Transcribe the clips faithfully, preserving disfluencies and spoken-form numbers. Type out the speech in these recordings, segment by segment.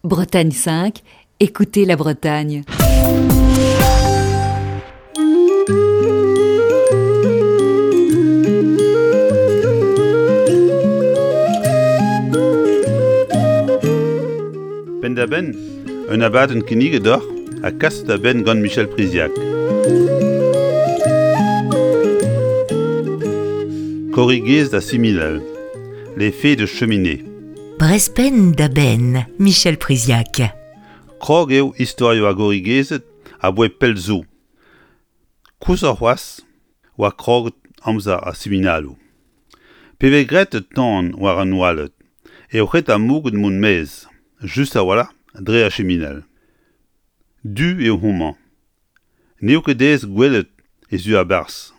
Bretagne cinq, écoutez la Bretagne. Penn-da-benn, un abadenn kinniget deoc'h ha kaset da benn gant Michel Priziac. Korrigez da siminal, les fées de cheminée. Brezh penn da benn, Michel Priziac. Krog eo istorioù ar gorrigezed aboae pell zo. Koshoc'h c'hoazh oa kroget amzer ar siminaloù. Pe vez graet tan war an oaled eo ret ar moged mont maez, just a-walc'h dre ar chiminal. Du eo homañ. N'eo ket aes gwelet he zu a-barzh.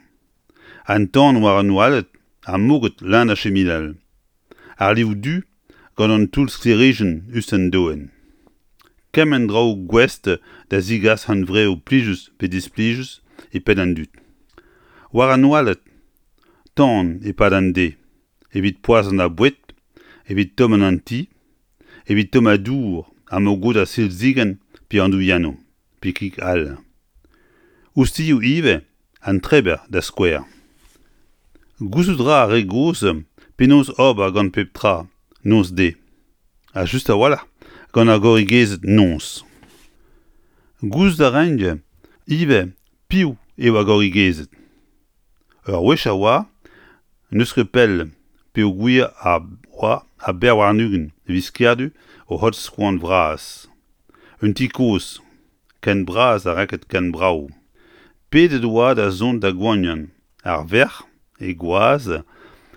An tan war an oaled ha moged leun ar chiminal. Ar liv du gant an toull sklêrijenn us d'an doenn. Kement draoù gouest da zegas hunvreoù plijus pe displijus e penn an dud. War an oaled, tan e-pad an deiz, evit poazhañ ar boued, evit tommañ an ti, evit tommañ dour ha mogodañ silzigenn pe andouilhennoù, pe kig all. Ouzhtilhoù ivez, an treber da skouer. Gouzout 'ra ar re gozh penaos ober gant pep tra noz-deiz, ha just a-walc'h gant ar gorrigezed noz. Gouzout a raint ivez piv eo ar gorrigezed. Ur wech a oa, n'eus ket pell peogwir a oa a bevar warn-ugent viz Kerdu o c'hortoz koan vras. Un ti kozh, ken bras ha renket ken brav. Pedet oa da zont da goaniañ ar verc'h, he gwaz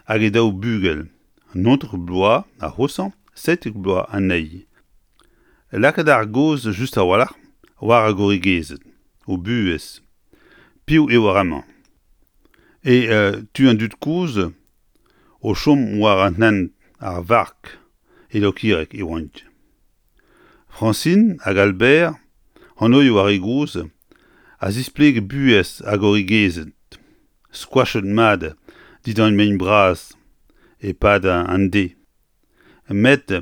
hag he daou bugel, naontek bloaz ar c'hoshañ, seitek bloaz anezhi. Lakaet ar gaoz just a-walc'h war ar gorrigezed, o buhez. Piv eo ar re-mañ ? E tu an dud kozh o chom war an hent ar Vark e Lokireg e oant. Francine hag Albert, anvioù ar re gozh, a zispleg buhez ar gorrigezed, skoachet mat dindan mein bras e-pad an deiz. Met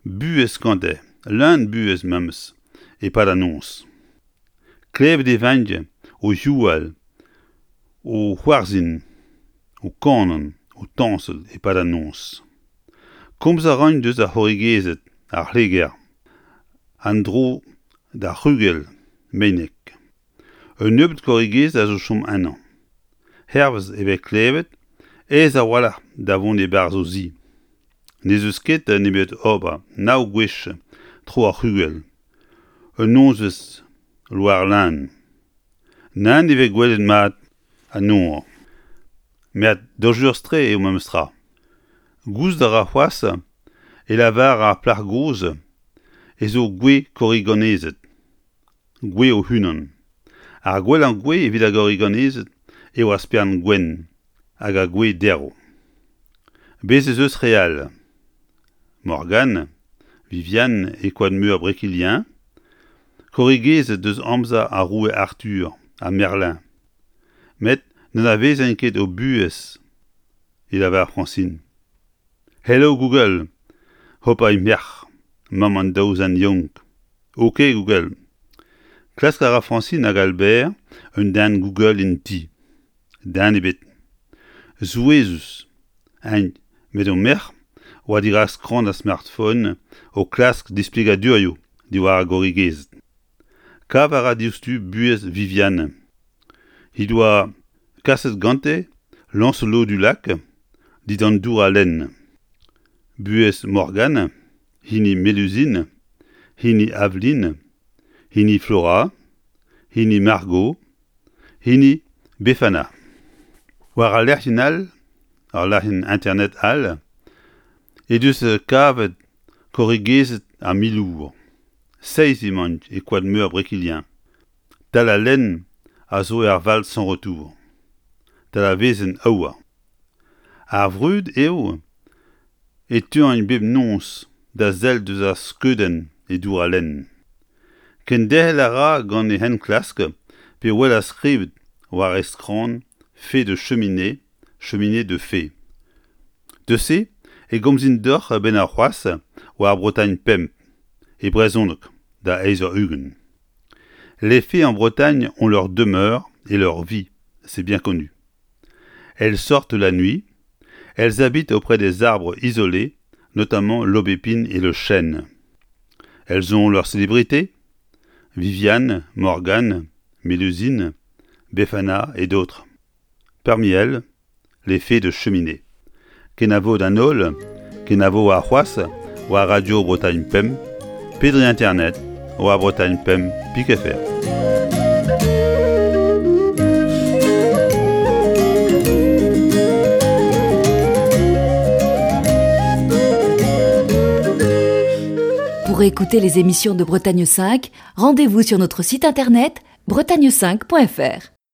buhez gante, leun buhez memes, e-pad an noz. Klevet e vint o youal, o c'hoarzhin, o kanañ, o tañsal e-pad an noz. Komz a raint eus ar c'horrigezed, ar c'hleger, an dro d'ar c'hrugell meinek. Un nebeud korrigezed a zo chom ennañ. Hervez e vez klevet, aes a-walc'h da vont e-barzh o zi. N'ez eus ket nemet ober nav gwech tro ar c'hrugell. Un nozvezh loar-leun. Nann e vez gwelet mat an nor. Met dañjerus-tre eo memes tra. Gouzout a ra c'hoazh e lavar ar plac'h gozh ez eo gwez korriganezed, gwez o-unan. Ar gwellañ gwez evit ar gorriganezed eo ar spern gwenn hag ar gwez derv. Bez' ez eus re all. Morgane, Viviane e koad-meur Brekilien, korrigezed eus amzer ar roue Arthur ha Merlin. Met n'anavezen ket o buhez, e lavar Francine. Hello Google, hopa he merc'h, mamm an daou zen yaouank. Ok Google. Klask a ra Francine hag Albert un den Google en ti. Den ebet. Souezhus, int, met o merc'h oa dirak skramm ar smartphone o klask displegadurioù diwar ar gorrigezed. Kav a ra diouzhtu buhez Viviane. He doa kaset gante Lancelot du Lac dindan dour al lenn. Buhez Morgane, hini Mélusine, hini Aveline, hini Flora, hini Margot, hini Befana. War al lec'hienn all, ar lec'hienn internet all, he deus kavet korrigezed ar Milour. Seizh emaint e koad-meur Brekilien. Tal al lenn a zo er Val sans retour. Tal ar wezenn aour. Ar vrud eo e teuint bep noz da sell deus ar skeudenn e dour al lenn. Kenderc'hel a ra gant e enklask pe wel ar skrivet war e skramm fée de cheminée, cheminée de fées. Deus se e gomzin deoc'h a-benn arc'hoazh war Bretagne pemp, E brezhoneg da eizh eur ugent. Les fées en Bretagne ont leur demeure et leur vie, c'est bien connu. Elles sortent la nuit, elles habitent auprès des arbres isolés, notamment l'aubépine et le chêne. Elles ont leur célébrité, Viviane, Morgane, Mélusine, Befana et d'autres. Parmi elles, les fées de cheminée. Kenavo d'an holl, kenavo warc'hoazh, war Radio Bretagne Pemp, pe dre internet, war Bretagne Pemp pik F R. Pour écouter les émissions de Bretagne cinq, rendez-vous sur notre site internet bretagne cinq point F R.